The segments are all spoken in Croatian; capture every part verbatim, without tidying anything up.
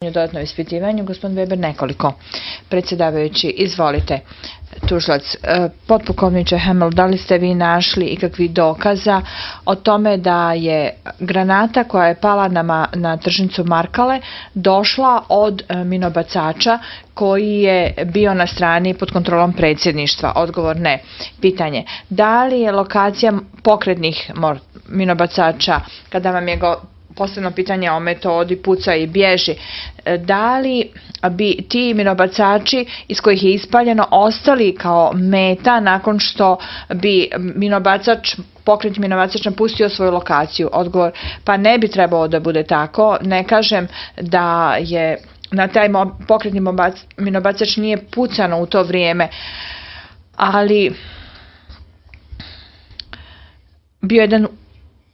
dodatno ispitivanju. Gospodin Weber, nekoliko. Predsjedavajući, izvolite. Tužilac, potpukovniče Hamel, da li ste vi našli ikakvih dokaza o tome da je granata koja je pala na, na tržnicu Markale došla od minobacača koji je bio na strani pod kontrolom predsjedništva? Odgovor ne. Pitanje, da li je lokacija pokretnih minobacača, kada vam je go posebno pitanje o metodi puca i bježi, da li bi ti minobacači iz kojih je ispaljeno ostali kao meta nakon što bi minobacač, pokretni minobacač napustio svoju lokaciju? Odgovor, pa ne bi trebalo da bude tako. Ne kažem da je na taj pokretni minobacač nije pucano u to vrijeme, ali bio jedan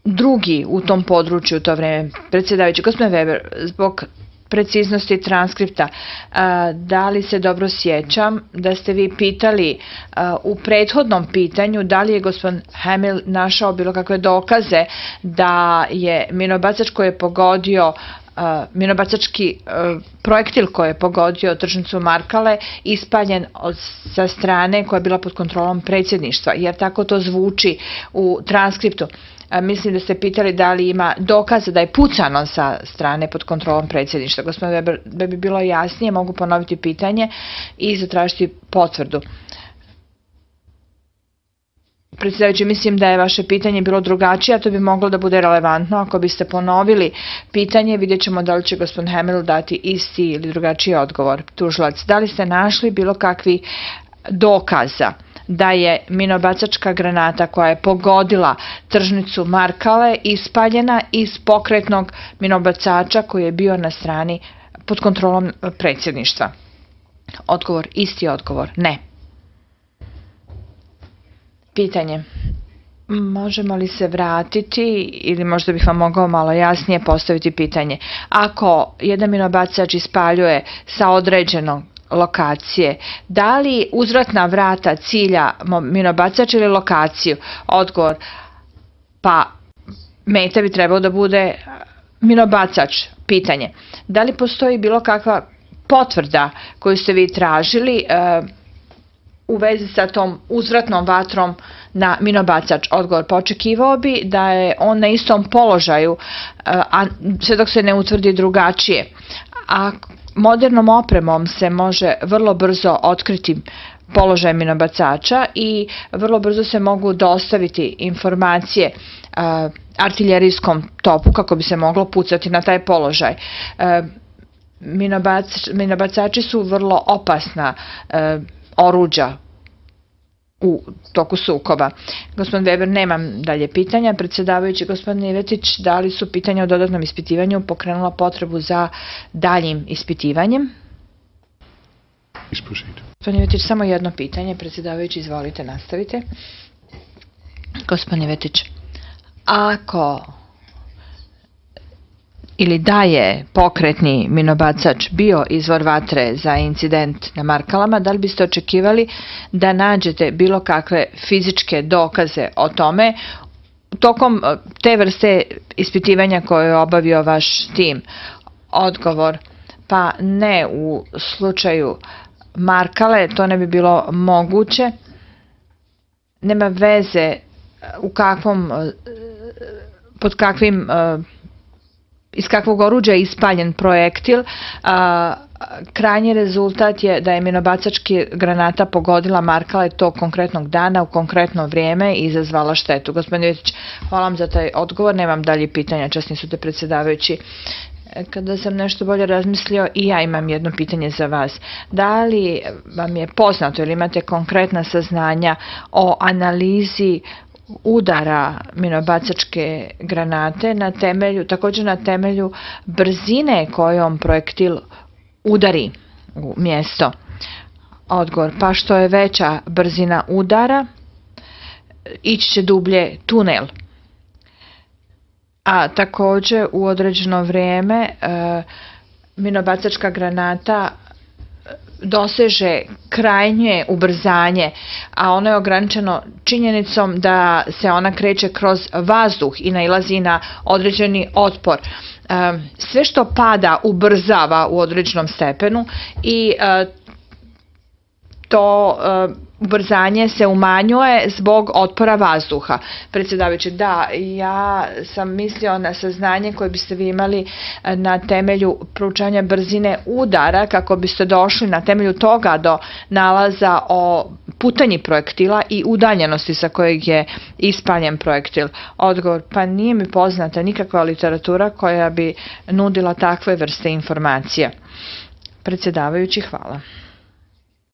drugi u tom području u to vrijeme. Predsjedavajući, gospodin Weber, zbog preciznosti transkripta, da li se dobro sjećam da ste vi pitali u prethodnom pitanju da li je gospodin Hamel našao bilo kakve dokaze da je minobacač koji je pogodio minobacački projektil koji je pogodio tržnicu Markale ispaljen sa strane koja je bila pod kontrolom predsjedništva, jer tako to zvuči u transkriptu. Mislim da ste pitali da li ima dokaza da je pucano sa strane pod kontrolom predsjedništva. Gospodin Weber, da bi bilo jasnije, mogu ponoviti pitanje i zatražiti potvrdu. Predsjedavajući, mislim da je vaše pitanje bilo drugačije, a to bi moglo da bude relevantno. Ako biste ponovili pitanje, vidjet ćemo da li će gospodin Hamel dati isti ili drugačiji odgovor. Tužilac, da li ste našli bilo kakvi dokaza da je minobacačka granata koja je pogodila tržnicu Markale ispaljena iz pokretnog minobacača koji je bio na strani pod kontrolom predsjedništva? Odgovor, isti odgovor, ne. Pitanje, možemo li se vratiti ili možda bih vam mogao malo jasnije postaviti pitanje. Ako jedan minobacač ispaljuje sa određenog lokacije, da li uzvratna vrata cilja minobacač ili lokaciju? Odgovor, pa meta bi trebao da bude minobacač. Pitanje, da li postoji bilo kakva potvrda koju ste vi tražili u vezi sa tom uzvratnom vatrom na minobacač? Odgovor, pa očekivao bi da je on na istom položaju, a sve dok se ne utvrdi drugačije. A modernom opremom se može vrlo brzo otkriti položaj minobacača i vrlo brzo se mogu dostaviti informacije artiljerijskom topu kako bi se moglo pucati na taj položaj. Minobacači su vrlo opasna oruđa u toku sukoba. Gospodin Weber, nemam dalje pitanja. Predsjedavajući, gospodin Ivetić, da li su pitanja o dodatnom ispitivanju pokrenula potrebu za daljim ispitivanjem? Gospodin Ivetić, samo jedno pitanje. Predsjedavajući, izvolite, nastavite. Gospodin Ivetić, ako ili da je pokretni minobacač bio izvor vatre za incident na Markalama, da li biste očekivali da nađete bilo kakve fizičke dokaze o tome tokom te vrste ispitivanja koje je obavio vaš tim? Odgovor, pa ne, u slučaju Markale to ne bi bilo moguće. Nema veze u kakvom, pod kakvim, iz kakvog oruđa je ispaljen projektil. Krajnji rezultat je da je minobacački granata pogodila Markale tog konkretnog dana u konkretno vrijeme i izazvala štetu. Gospodin Ivetić, hvala vam za taj odgovor. Nemam dalje pitanja, časni su te predsjedavajući. Kada sam nešto bolje razmislio, i ja imam jedno pitanje za vas. Da li vam je poznato ili imate konkretna saznanja o analizi udara minobacačke granate na temelju, također na temelju brzine kojom projektil udari u mjesto? Odgovor, pa što je veća brzina udara, ići će dublje tunel. A također u određeno vrijeme e, minobacačka granata doseže krajnje ubrzanje, a ono je ograničeno činjenicom da se ona kreće kroz vazduh i nailazi na određeni otpor. Sve što pada ubrzava u određenom stepenu i to ubrzanje se umanjuje zbog otpora vazduha. Predsjedavajući, da, ja sam mislio na saznanje koje biste vi imali na temelju proučavanja brzine udara, kako biste došli na temelju toga do nalaza o putanji projektila i udaljenosti sa kojeg je ispaljen projektil. Odgovor, pa nije mi poznata nikakva literatura koja bi nudila takve vrste informacija. Predsjedavajući, hvala.